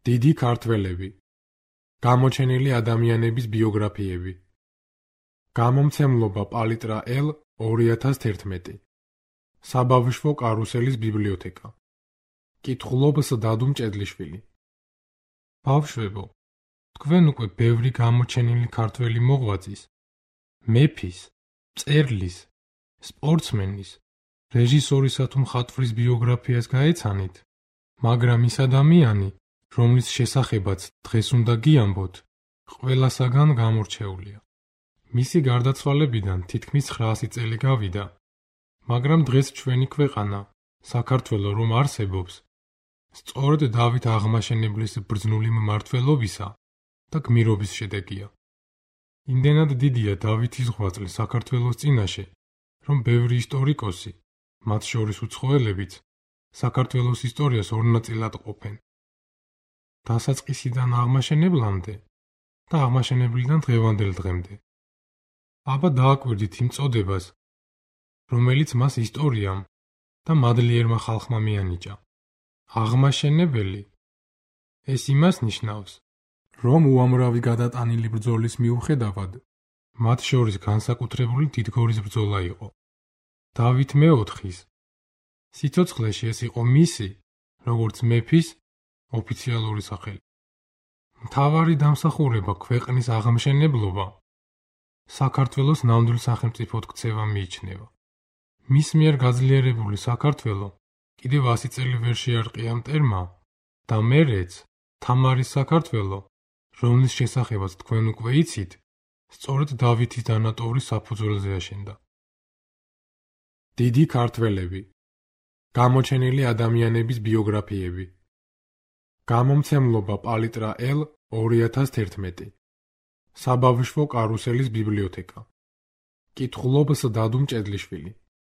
დიდი ქართველები. გამოჩენილი ადამიანების ბიოგრაფიები. გამომცემლობა პალიტრა L 2011. საბავშვო კარუსელის ბიბლიოთეკა. კითხულობს დადუ მჭედლიშვილი. ბავშვებო, თქვენ უკვე ბევრი გამოჩენილი ქართველი მოღვაწის, მეფის, მწერლის, სპორტსმენის, რეჟისორისა თუ მხატვრის ბიოგრაფიას გაეცანით, მაგრამ ის ადამიანი, რომლის შესახებაც დღეს უნდა გიამბოთ, ყველასაგან გამორჩეულია. მისი გარდაცვალებიდან თითქმის 900 წელი გავიდა, მაგრამ დღეს ჩვენი ქვეყანა, საქართველო რომ არსებობს, სწორედ დავით აღმაშენებლის ბრძნული მმართველობისა და გმირობის შედეგია. იმდენად დიდია დავითის ღვაწლი საქართველოს წინაშე, რომ ბევრი ისტორიკოსი, მათ შორის უცხოელებიც, საქართველოს ისტორიას ორ ნაწილად ყოფენ. დასაწყისიდან აღმაშენებლამდე და აღმაშენებლიდან დღევანდელ დღემდე. აბა დააკვირდით იმ წოდებას, რომელიც მას ისტორიამ და მადლიერმა ხალხმა მიანიჭა. აღმაშენებელი. ეს იმას ნიშნავს, რომ უამრავი გადატანილი ბრძოლის მიუხედავად, მათ შორის განსაკუთრებული დიდგორის ბრძოლა იყო. დავით მეოთხის სიცოცხლეში ეს იყო მისი, როგორც მეფის, ოფიციალური სახელი. მთავარი დამსახურება ქვეყნის აღმშენებლობა საქართველოს ნამდვილ სახელმწიფოდ ქცევა მიიჩნევა. მის მიერ გაძლიერებული საქართველო კიდევ 100 წელი ვერ შეარყია მტერმა და მერეც თამარის საქართველო, რომლის შესახებაც თქვენ უკვე იცით, სწორედ დავითის დანატოვრის საფუძველზე აშენდა. დიდი ქართველები. გამოჩენილი ადამიანების ბიოგრაფიები. გამომცემლობა პალიტრა L 2011. საბავშვო კარუსელის ბიბლიოთეკა. კითხულობს დადუ მჭედლიშვილი.